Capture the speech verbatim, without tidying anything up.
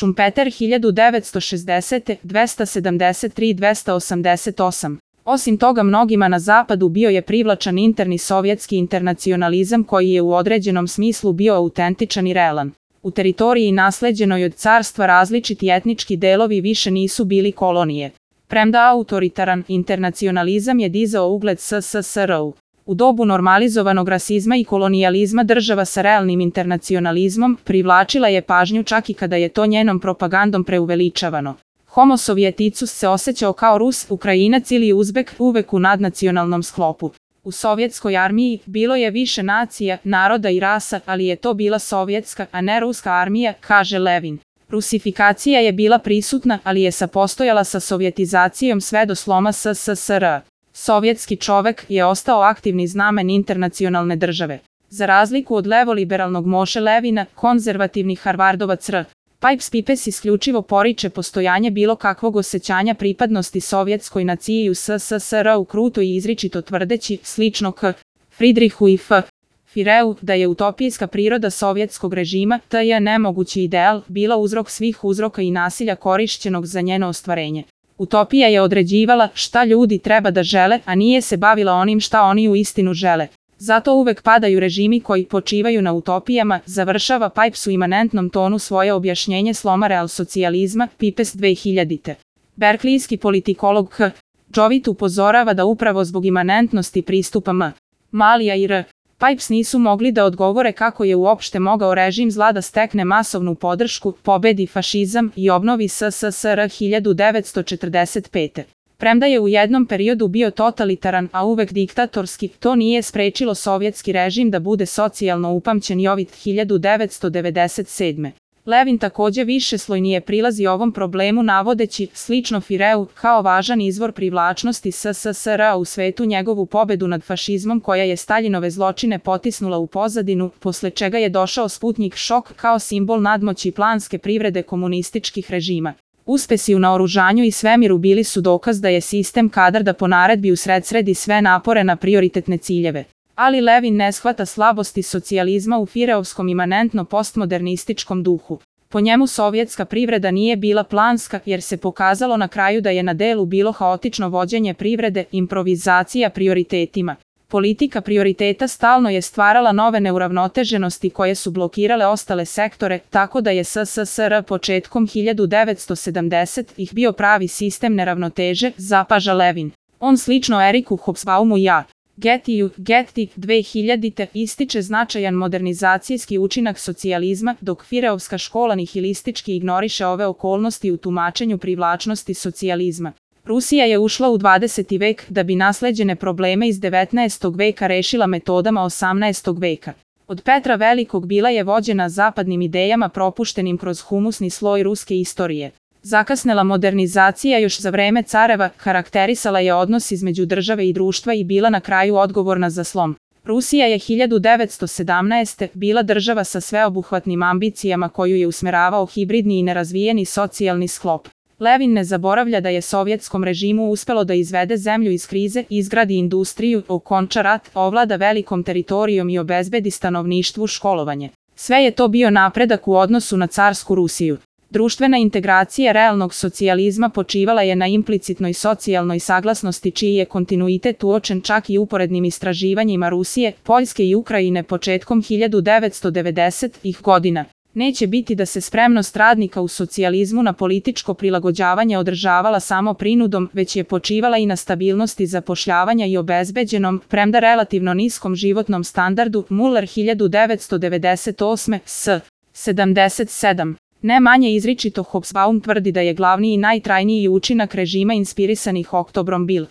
Šumpeter hiljadu devetsto šezdesete. dvesta sedamdeset tri do dvesta osamdeset osam. Osim toga, mnogima na zapadu bio je privlačan interni sovjetski internacionalizam koji je u određenom smislu bio autentičan i realan. U teritoriji nasleđenoj od carstva različiti etnički delovi više nisu bili kolonije. Premda autoritaran internacionalizam je dizao ugled S S S R-u. U dobu normalizovanog rasizma i kolonijalizma država sa realnim internacionalizmom privlačila je pažnju čak i kada je to njenom propagandom preuveličavano. Homo sovjeticus se osjećao kao Rus, Ukrajinac ili Uzbek, uvek u nadnacionalnom sklopu. U sovjetskoj armiji bilo je više nacija, naroda i rasa, ali je to bila sovjetska, a ne ruska armija, kaže Levin. Rusifikacija je bila prisutna, ali je sapostojala sa sovjetizacijom sve do sloma S S S R-a. Sovjetski čovek je ostao aktivni znamen internacionalne države. Za razliku od levoliberalnog Moše Levina, konzervativni Harvardovac R. Pipes Pipes isključivo poriče postojanje bilo kakvog osjećanja pripadnosti sovjetskoj naciji u S S S R-u kruto i izričito tvrdeći, slično K. Friedrichu i F. Fireu, da je utopijska priroda sovjetskog režima, t je nemogući ideal, bila uzrok svih uzroka i nasilja korišćenog za njeno ostvarenje. Utopija je određivala šta ljudi treba da žele, a nije se bavila onim šta oni u istinu žele. Zato uvek padaju režimi koji počivaju na utopijama, završava Pipes u imanentnom tonu svoje objašnjenje sloma realsocijalizma, Pipes dve hiljadite. Berklijski politikolog H. Jovit upozorava da upravo zbog imanentnosti pristupa M. Malija i R. Pipes nisu mogli da odgovore kako je uopšte mogao režim zla da stekne masovnu podršku, pobedi fašizam i obnovi S S S R hiljadu devetsto četrdeset pete. Premda je u jednom periodu bio totalitaran, a uvek diktatorski, to nije sprečilo sovjetski režim da bude socijalno upamćen Jovit hiljadu devetsto devedeset sedme. Levin takođe višeslojnije prilazi ovom problemu navodeći, slično Fireu, kao važan izvor privlačnosti S S S R-a u svetu njegovu pobedu nad fašizmom koja je Staljinove zločine potisnula u pozadinu, posle čega je došao Sputnjik šok kao simbol nadmoći planske privrede komunističkih režima. Uspesi u naoružanju i svemiru bili su dokaz da je sistem kadar da po naredbi usredsredi sve napore na prioritetne ciljeve. Ali Levin ne shvata slabosti socijalizma u Fireovskom imanentno postmodernističkom duhu. Po njemu sovjetska privreda nije bila planska jer se pokazalo na kraju da je na delu bilo haotično vođenje privrede, improvizacija prioritetima. Politika prioriteta stalno je stvarala nove neuravnoteženosti koje su blokirale ostale sektore, tako da je S S S R početkom hiljadu devetsto sedamdesetih bio pravi sistem neravnoteže, zapaža Levin. On slično Eriku Hobsbaumu i A. Getiju, Getty, dve hiljadite ističe značajan modernizacijski učinak socijalizma, dok Fireovska škola nihilistički ignoriše ove okolnosti u tumačenju privlačnosti socijalizma. Rusija je ušla u dvadeseti vek da bi nasleđene probleme iz devetnaestog veka rešila metodama osamnaestog veka. Od Petra Velikog bila je vođena zapadnim idejama propuštenim kroz humusni sloj ruske istorije. Zakasnela modernizacija još za vreme careva karakterisala je odnos između države i društva i bila na kraju odgovorna za slom. Rusija je hiljadu devetsto sedamnaeste. bila država sa sveobuhvatnim ambicijama koju je usmeravao hibridni i nerazvijeni socijalni sklop. Levin ne zaboravlja da je sovjetskom režimu uspelo da izvede zemlju iz krize, izgradi industriju, okonča rat, ovlada velikom teritorijom i obezbedi stanovništvu školovanje. Sve je to bio napredak u odnosu na carsku Rusiju. Društvena integracija realnog socijalizma počivala je na implicitnoj socijalnoj saglasnosti čiji je kontinuitet uočen čak i uporednim istraživanjima Rusije, Poljske i Ukrajine početkom hiljadu devetsto devedesetih godina. Neće biti da se spremnost radnika u socijalizmu na političko prilagođavanje održavala samo prinudom, već je počivala i na stabilnosti zapošljavanja i obezbeđenom, premda relativno niskom životnom standardu, Muller hiljadu devetsto devedeset osme. S. sedamdeset sedam. Ne manje izričito Hobsbawm tvrdi da je glavni i najtrajniji učinak režima inspirisanih oktobrom bil